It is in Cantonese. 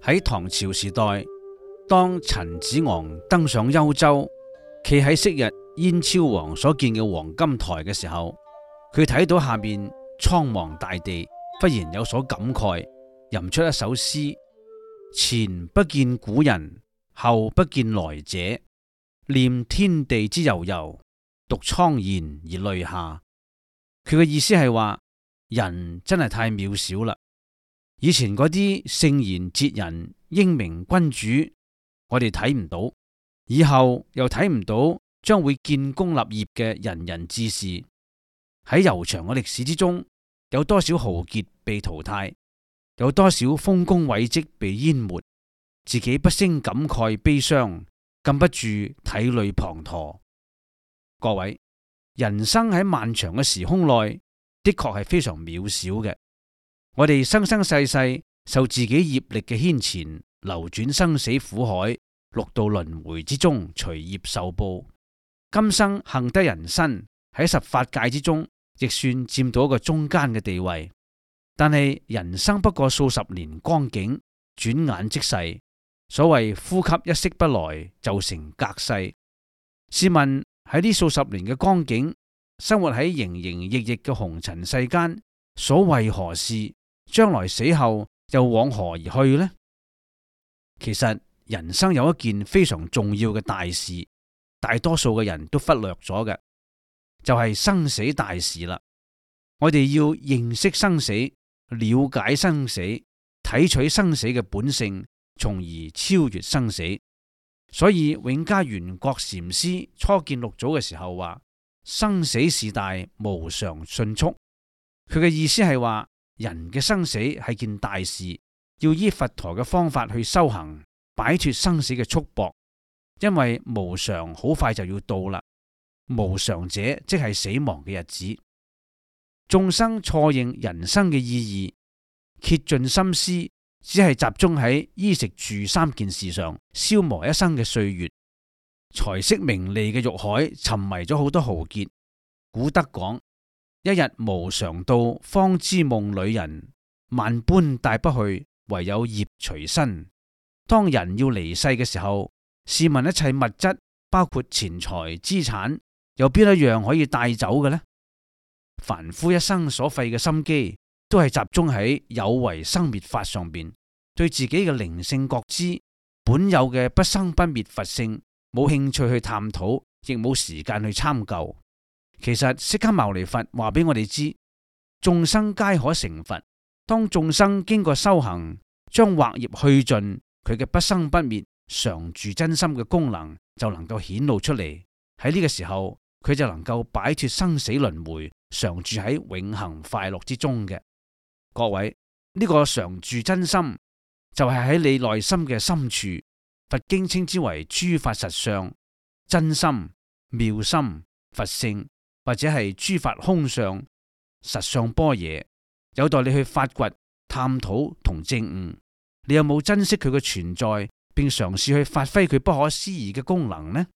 喺唐朝時代，當陳子昂登上幽州，企喺昔日燕昭王所建嘅黃金台嘅時候，佢睇到下面蒼茫大地，忽然有所感慨，吟出一首詩：前不見古人，後不見來者，念天地之悠悠，獨愴然而淚下。佢嘅意思係話，人真係太渺小啦。以前嗰啲聖賢哲人、英明君主，我哋睇唔到，以後又睇唔到將會建功立業嘅仁人志士。喺悠長嘅歷史之中，有多少豪傑被淘汰，有多少豐功偉績被淹沒，自己不勝感慨悲傷，禁不住體淚滂沱。各位，人生喺漫長嘅時空內，的確係非常渺小嘅。我哋生生世世受自己業力嘅牽纏，流轉生死苦海，六道輪迴之中隨業受報。今生幸得人身，喺十法界之中，亦算佔到一個中間嘅地位。但係人生不過數十年光景，轉眼即逝。所謂呼吸一息不來，就成隔世。試問喺呢數十年嘅光景，生活喺營營役役嘅紅塵世間，所為何事？將來死後又往何而去呢？其實人生有一件非常重要嘅大事，大多數嘅人都忽略咗嘅，就係生死大事啦。我哋要認識生死，了解生死，睇取生死嘅本性，從而超越生死。所以永嘉元覺禪師初見六祖嘅時候話：生死事大，無常迅速。佢嘅意思係話，人嘅生死係件大事，要依佛陀嘅方法去修行，擺脫生死嘅束縛。因為無常好快就要到啦，無常者即係死亡嘅日子。眾生錯認人生嘅意義，竭盡心思，只係集中喺衣食住三件事上，消磨一生嘅歲月。財色名利嘅欲海，沉迷咗好多豪傑。古德講：一日無常到，方知夢裏人。萬般帶不去，唯有業隨身。當人要離世嘅時候，試問一切物質，包括錢財資產，有邊一樣可以帶走嘅呢？凡夫一生所費嘅心機，都係集中喺有為生滅法上邊，對自己嘅靈性覺知、本有嘅不生不滅佛性，冇興趣去探討，亦冇時間去參究。其實釋迦牟尼佛話俾我哋知，眾生皆可成佛。當眾生經過修行，將惑業去盡，佢嘅不生不滅、常住真心嘅功能就能夠顯露出嚟。喺呢個時候，佢就能夠擺脫生死輪迴，常住喺永恆快樂之中嘅。各位，呢個常住真心就係喺你內心嘅深處。佛經稱之為諸法實相、真心、妙心、佛性，或者係諸法空相、實相般若，有待你去發掘、探討同證悟。你有冇珍惜佢嘅存在，並嘗試去發揮佢不可思議嘅功能呢？